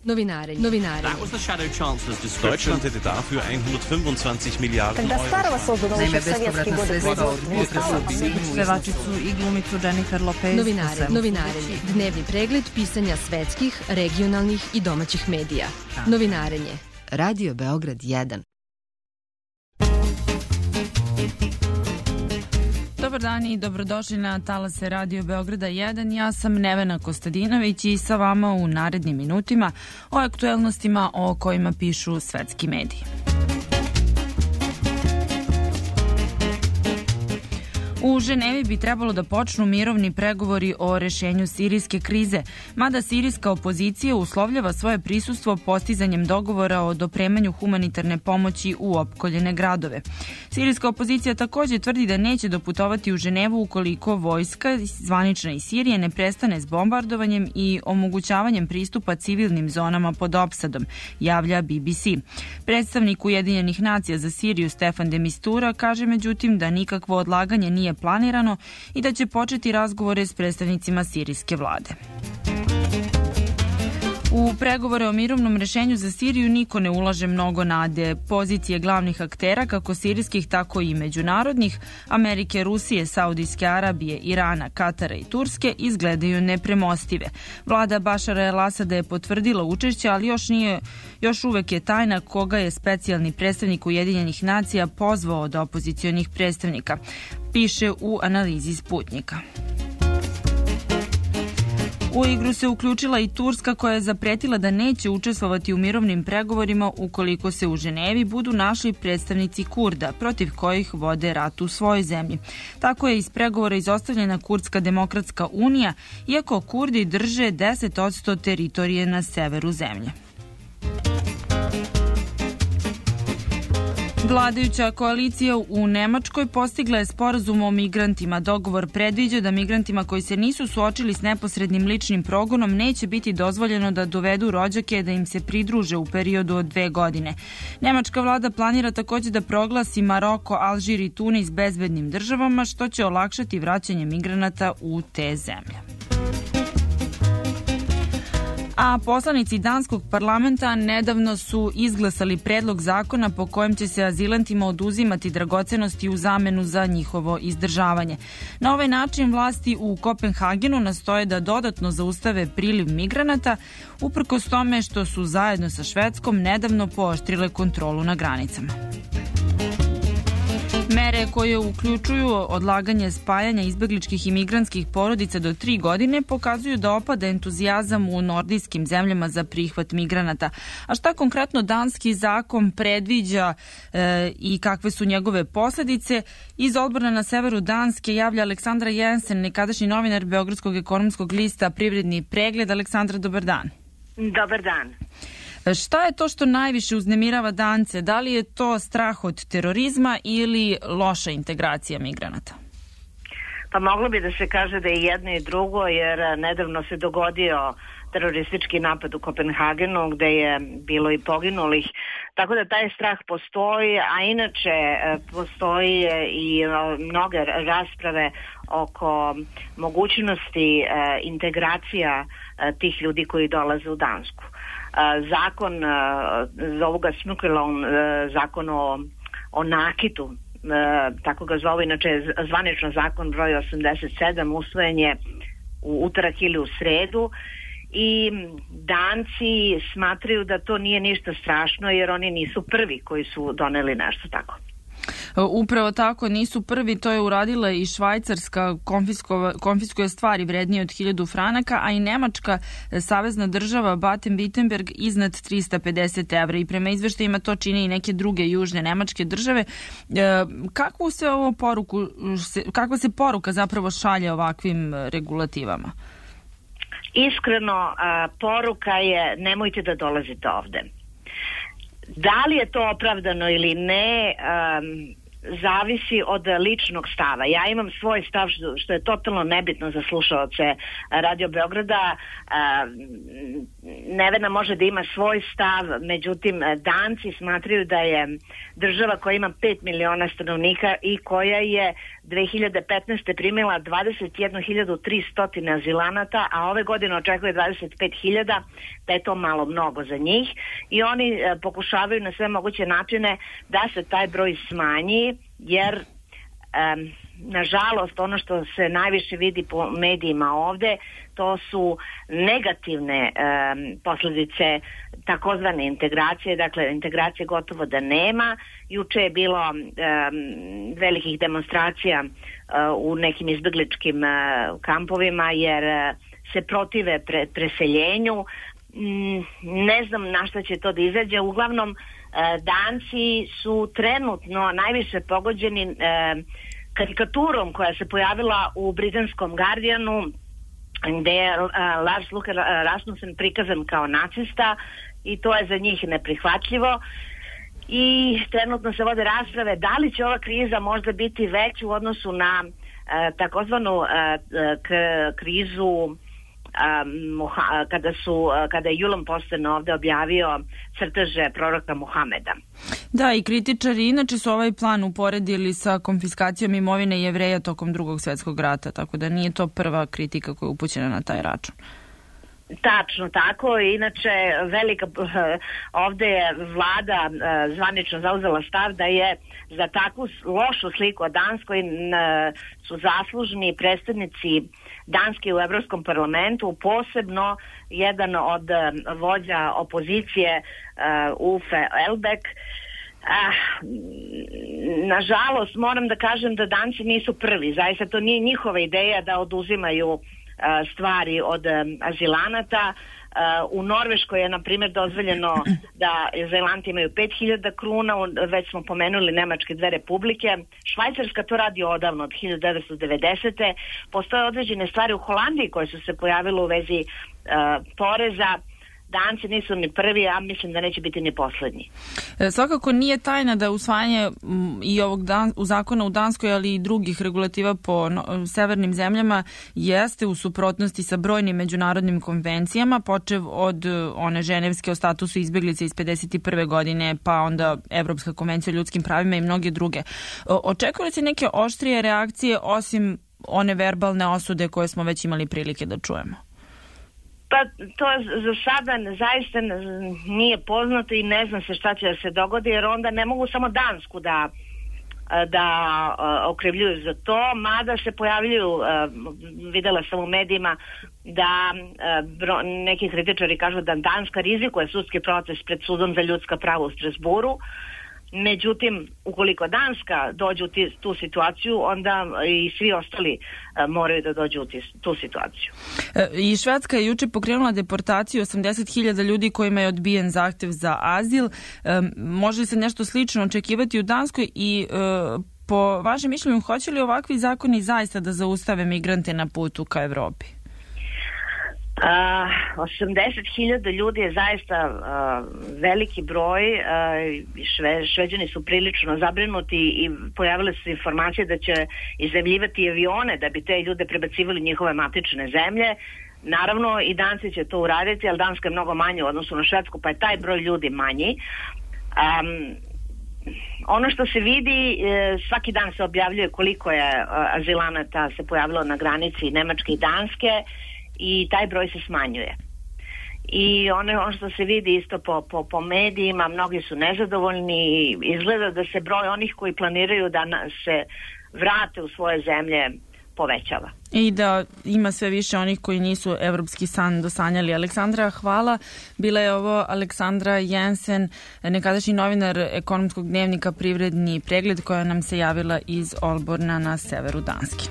That was the shadow chancellor's description. Deutschland hätte dafür 125 Milijarden Когда старого Euro. создано еще в советские годы производства. Pevačicu i glumicu Jennifer Lopez. Novinarenje. Dnevni pregled pisanja svetskih, regionalnih i domaćih medija. Novinarenje. Radio Beograd 1. Dobar dan i dobrodošli na talase Radio Beograda 1. Ja sam Nevena Kostadinović i sa vama u narednim minutima o aktuelnostima o kojima pišu svetski mediji. U Ženevi bi trebalo da počnu mirovni pregovori o rešenju sirijske krize, mada sirijska opozicija uslovljava svoje prisustvo postizanjem dogovora o dopremanju humanitarne pomoći u opkoljene gradove. Sirijska opozicija takođe tvrdi da neće doputovati u Ženevu ukoliko vojska zvanična iz Sirije ne prestane s bombardovanjem i omogućavanjem pristupa civilnim zonama pod opsadom, javlja BBC. Predstavnik Ujedinjenih nacija za Siriju Stefan de Mistura kaže međutim da nikakvo odlaganje nije planirano i da će početi razgovore s predstavnicima sirijske vlade. U pregovore o mirovnom rešenju za Siriju niko ne ulaže mnogo nade. Pozicije glavnih aktera, kako sirijskih, tako i međunarodnih, Amerike, Rusije, Saudijske Arabije, Irana, Katara i Turske, izgledaju nepremostive. Vlada Bašara el-Asada je potvrdila učešće, ali još uvek je tajna koga je specijalni predstavnik Ujedinjenih nacija pozvao od opozicionih predstavnika, piše u analizi Sputnika. U igru se uključila i Turska koja je zapretila da neće učestvovati u mirovnim pregovorima ukoliko se u Ženevi budu našli predstavnici Kurda, protiv kojih vode rat u svojoj zemlji. Tako je iz pregovora izostavljena Kurdska demokratska unija, iako Kurdi drže 10% teritorije na severu zemlje. Vladajuća koalicija u Nemačkoj postigla je sporazum o migrantima. Dogovor predviđa da migrantima koji se nisu suočili s neposrednim ličnim progonom neće biti dozvoljeno da dovedu rođake da im se pridruže u periodu od 2 godine. Nemačka vlada planira takođe da proglasi Maroko, Alžir i Tunis bezbednim državama, što će olakšati vraćanje migranata u te zemlje. A poslanici danskog parlamenta nedavno su izglasali predlog zakona po kojem će se azilantima oduzimati dragocenosti u zamenu za njihovo izdržavanje. Na ovaj način vlasti u Kopenhagenu nastoje da dodatno zaustave priliv migranata, uprkos tome što su zajedno sa Švedskom nedavno pooštrile kontrolu na granicama. Mere koje uključuju odlaganje spajanja izbegličkih i migrantskih porodica do 3 godine pokazuju da opada entuzijazam u nordijskim zemljama za prihvat migranata. A šta konkretno danski zakon predviđa i kakve su njegove posledice? Iz odbora na severu Danske javlja Aleksandra Jensen, nekadašnji novinar Beogradskog ekonomskog lista Privredni pregled. Aleksandra, dobar dan. Dobar dan. Šta je to što najviše uznemirava Dance? Da li je to strah od terorizma ili loša integracija migranata? Pa moglo bi da se kaže da je jedno i drugo, jer nedavno se dogodio teroristički napad u Kopenhagenu gde je bilo i poginulih, tako da taj strah postoji, a inače postoji i mnoge rasprave oko mogućnosti integracija tih ljudi koji dolaze u Dansku. Zakon, zovu ga Smukkelon, zakon o nakitu, tako ga zovu, inače zvanično zakon broj 87, usvojen je u utorak ili u sredu i Danci smatraju da to nije ništa strašno jer oni nisu prvi koji su doneli nešto tako. Upravo tako, nisu prvi, to je uradila i Švajcarska, konfiskuje stvari vrednije od 1000 franaka, a i Nemačka savezna država Baden-Württemberg iznad 350 evra i prema izveštajima to čine i neke druge južne nemačke države. Kakva se poruka zapravo šalje ovakvim regulativama? Iskreno, poruka je nemojte da dolazite ovde. Da li je to opravdano ili ne, zavisi od ličnog stava. Ja imam svoj stav što je totalno nebitno za slušaoce Radio Beograda. Nevena može da ima svoj stav, međutim Danci smatraju da je država koja ima 5 miliona stanovnika i koja je 2015. primila 21.300 azilanata, a ove godine očekuje 25.000, da je to malo mnogo za njih i oni pokušavaju na sve moguće načine da se taj broj smanji, jer nažalost ono što se najviše vidi po medijima ovde, to su negativne posljedice takozvane integracije, dakle integracije gotovo da nema. Juče je bilo velikih demonstracija u nekim izbegličkim kampovima jer se protive preseljenju. Ne znam na šta će to da izađe. Uglavnom Danci su trenutno najviše pogođeni karikaturom koja se pojavila u britanskom Guardianu, gde je Lars Løkke Rasmussen prikazan kao nacista i to je za njih neprihvatljivo. I trenutno se vode rasprave da li će ova kriza možda biti veća u odnosu na takozvanu krizu kada je Julom Posten ovde objavio crteže proroka Muhameda. Da, i kritičari inače su ovaj plan uporedili sa konfiskacijom imovine Jevreja tokom Drugog svjetskog rata, tako da nije to prva kritika koja je upućena na taj račun. Tačno tako, inače ovde je vlada zvanično zauzela stav da je za takvu lošu sliku o Danskoj su zaslužni predstavnici Danske u Evropskom parlamentu, posebno jedan od vođa opozicije Uffe Elbæk. Nažalost, moram da kažem da Danci nisu prvi, zaista to nije njihova ideja da oduzimaju stvari od azilanata. U Norveškoj je, na primjer, dozvoljeno da azilanti imaju 5.000 kruna, već smo pomenuli Nemačke 2 republike. Švajcarska to radi odavno, od 1990. Postoje određene stvari u Holandiji koje su se pojavile u vezi poreza. Danci nisu ni prvi, a mislim da neće biti ni poslednji. Svakako nije tajna da usvajanje i ovog zakona u Danskoj, ali i drugih regulativa po severnim zemljama jeste u suprotnosti sa brojnim međunarodnim konvencijama, počev od one ženevske o statusu izbjeglice iz 51. godine, pa onda Evropska konvencija o ljudskim pravima i mnoge druge. Očekuje se neke oštrije reakcije osim one verbalne osude koje smo već imali prilike da čujemo? Pa to za sada zaista nije poznato i ne zna se šta će da se dogodi, jer onda ne mogu samo Dansku da okrivljuju za to, mada se pojavljuju, videla sam u medijima da neki kritičari kažu da Danska rizikuje sudski proces pred sudom za ljudska prava u Strasburu. Međutim, ukoliko Danska dođe u tu situaciju, onda i svi ostali moraju da dođu u tu situaciju. I Švedska je juče pokrenula deportaciju 80.000 ljudi kojima je odbijen zahtev za azil. Može li se nešto slično očekivati u Danskoj i po vašem mišljenju, hoće li ovakvi zakoni zaista da zaustave migrante na putu ka Evropi? 80.000 ljudi je zaista veliki broj. Šveđani su prilično zabrinuti i pojavile su informacije da će izemljivati avione da bi te ljude prebacivali njihove matične zemlje. Naravno i Danci će to uraditi, ali Danska je mnogo manje u odnosu na Švedsku, pa je taj broj ljudi manji. Ono što se vidi, svaki dan se objavljuje koliko je azilanata se pojavilo na granici Nemačke i Danske i taj broj se smanjuje. I ono što se vidi isto po medijima, mnogi su nezadovoljni, izgleda da se broj onih koji planiraju da se vrate u svoje zemlje povećava. I da ima sve više onih koji nisu evropski san dosanjali. Aleksandra, hvala. Bila je ovo Aleksandra Jensen, nekadašnji novinar ekonomskog dnevnika Privredni pregled, koja nam se javila iz Aalborna na severu Danske.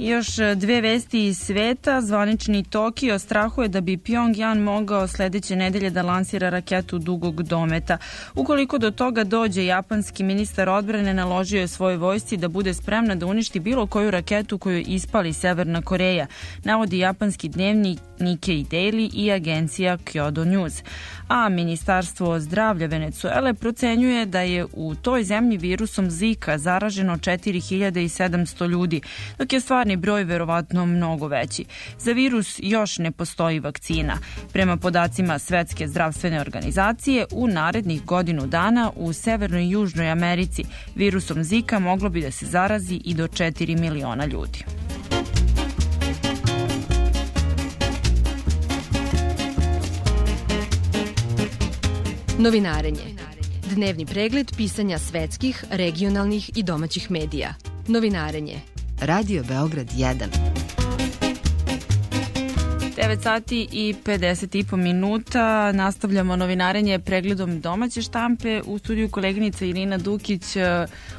Još dve vesti iz sveta. Zvanični Tokio strahuje da bi Pyongyang mogao sledeće nedelje da lansira raketu dugog dometa. Ukoliko do toga dođe, japanski ministar odbrane naložio je svojoj vojsci da bude spremna da uništi bilo koju raketu koju ispali Severna Koreja, navodi japanski dnevnik Nikkei Daily i agencija Kyodo News. A Ministarstvo zdravlja Venecuele procenjuje da je u toj zemlji virusom Zika zaraženo 4700 ljudi, dok je stvarni broj verovatno mnogo veći. Za virus još ne postoji vakcina. Prema podacima Svetske zdravstvene organizacije, u narednih godinu dana u Severnoj i Južnoj Americi virusom Zika moglo bi da se zarazi i do 4 miliona ljudi. Novinarenje. Dnevni pregled pisanja svetskih, regionalnih i domaćih medija. Novinarenje. Radio Beograd 1. 9 sati i 50 minuta. Nastavljamo novinarenje pregledom domaće štampe. U studiju koleginica Irina Dukić,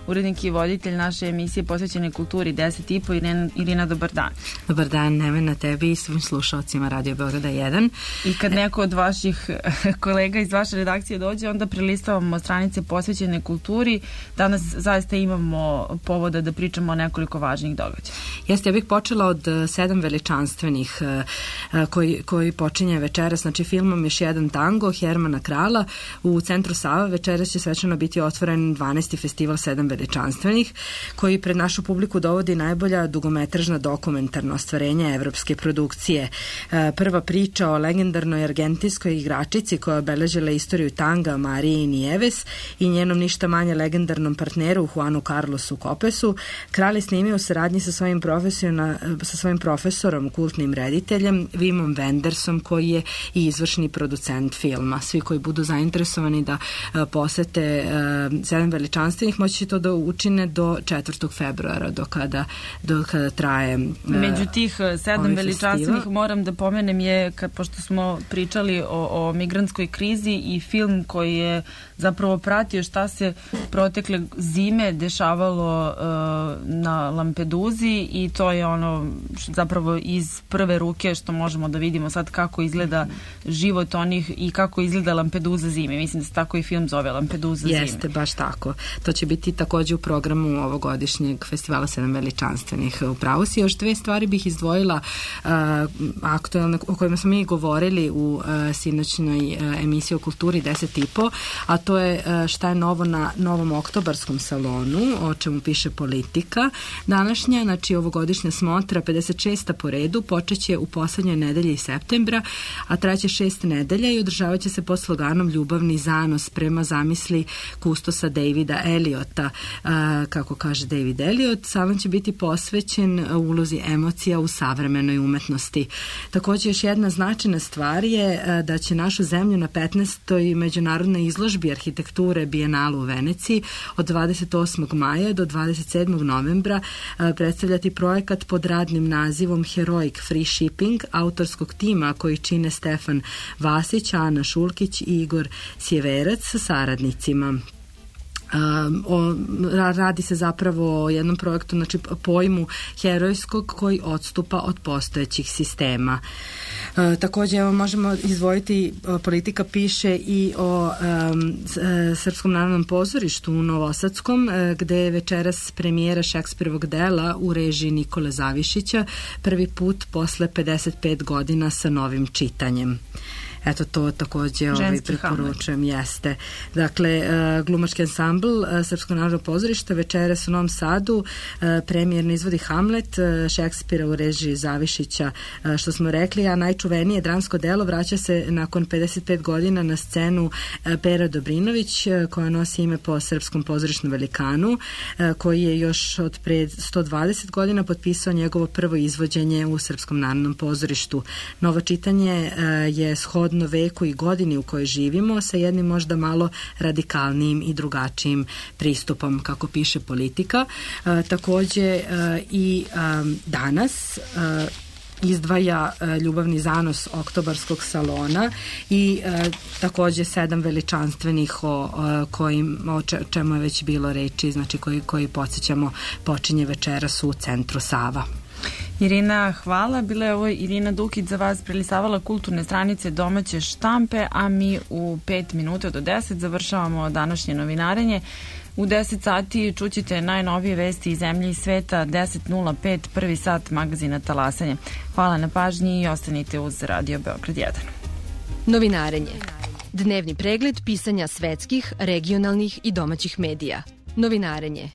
urednik i voditelj naše emisije posvećene kulturi 10.30. Irina, dobar dan. Dobar dan, Nevena, tebi i svim slušalcima Radio Beograda 1. I kad neko od vaših kolega iz vaše redakcije dođe, onda prelistavamo stranice posvećene kulturi. Danas zaista imamo povoda da pričamo o nekoliko važnih događaja. Jeste, ja bih počela od 7 veličanstvenih koji počinje večeras, znači filmom Još jedan tango Hermana Krala. U centru Sava večeras će svečano biti otvoren 12. festival 7 veličanstvenih, koji pred našu publiku dovodi najbolja dugometražna dokumentarna ostvarenja evropske produkcije. Prva priča o legendarnoj argentinskoj igračici koja obeležila istoriju tanga Mariji Nieves i njenom ništa manje legendarnom partneru Juanu Carlosu Copesu. Kral je snimio u saradnji sa svojim profesorom, kultnim rediteljem Wimom Wendersom, koji je i izvršni producent filma. Svi koji budu zainteresovani da posete 7 veličanstvenih moći će to da učine do 4. februara do kada traje među tih 7 veličanstvenih moram da pomenem je, pošto smo pričali o migrantskoj krizi, i film koji je zapravo pratio šta se protekle zime dešavalo na Lampeduzi, i to je ono zapravo iz prve ruke što možemo da vidimo sad kako izgleda život onih i kako izgleda Lampedusa zime. Mislim da se tako i film zove, Lampedusa zime. Jeste, baš tako. To će biti takođe u programu ovogodišnjeg festivala 7 veličanstvenih. Upravo si, još dve stvari bih izdvojila aktualne, o kojima smo mi govorili u sinoćnoj emisiji o kulturi 10.30, a to je šta je novo na novom oktobarskom salonu, o čemu piše Politika. Današnja, znači ovogodišnja smotra, 56. po redu, počeće u poslednjoj nedelji septembra, a traće 6 nedelja i održavat će se pod sloganom Ljubavni zanos prema zamisli kustosa Davida Eliota. Kako kaže David Eliot, salon će biti posvećen ulozi emocija u savremenoj umetnosti. Takođe, još jedna značajna stvar je da će našu zemlju na 15. međunarodnoj izložbi arhitekture Bijenalu u Veneciji od 28. maja do 27. novembra predstavljati projekat pod radnim nazivom Heroic Free Shipping autorskog tima koji čine Stefan Vasić, Ana Šulkić i Igor Sjeverac sa saradnicima. Radi se zapravo o jednom projektu, znači pojmu herojskog koji odstupa od postojećih sistema. Takođe, evo, možemo izdvojiti, Politika piše i o Srpskom narodnom pozorištu u Novosadskom, gde je večeras premijera Šekspirovog dela u režiji Nikole Zavišića, prvi put posle 55 godina sa novim čitanjem. Eto, to takođe preporučujem, jeste. Dakle, glumački ansambl Srpskog narodnog pozorišta večeras u Novom Sadu premijerno izvodi Hamlet Šekspira u režiji Zavišića, što smo rekli, a najčuvenije dramsko delo vraća se nakon 55 godina na scenu Pera Dobrinović, koja nosi ime po srpskom pozorišnom velikanu, koji je još od pre 120 godina potpisao njegovo prvo izvođenje u Srpskom narodnom pozorištu. Novo čitanje je shodno veku i godini u kojoj živimo, sa jednim možda malo radikalnijim i drugačijim pristupom, kako piše Politika. Takođe i danas izdvaja Ljubavni zanos oktobarskog salona i takođe 7 veličanstvenih o čemu je već bilo reči, znači koji podsjećamo počinje večeras u centru Sava. Irina, hvala. Bila je ovo Irina Dukić za vas prelisavala kulturne stranice domaće štampe, a mi u 5 minuta do 10 završavamo današnje novinarenje. U 10 sati čućete najnovije vesti iz zemlje i sveta, 10.05, prvi sat magazina Talasanje. Hvala na pažnji i ostanite uz Radio Beograd 1. Novinarenje. Dnevni pregled pisanja svetskih, regionalnih i domaćih medija. Novinarenje.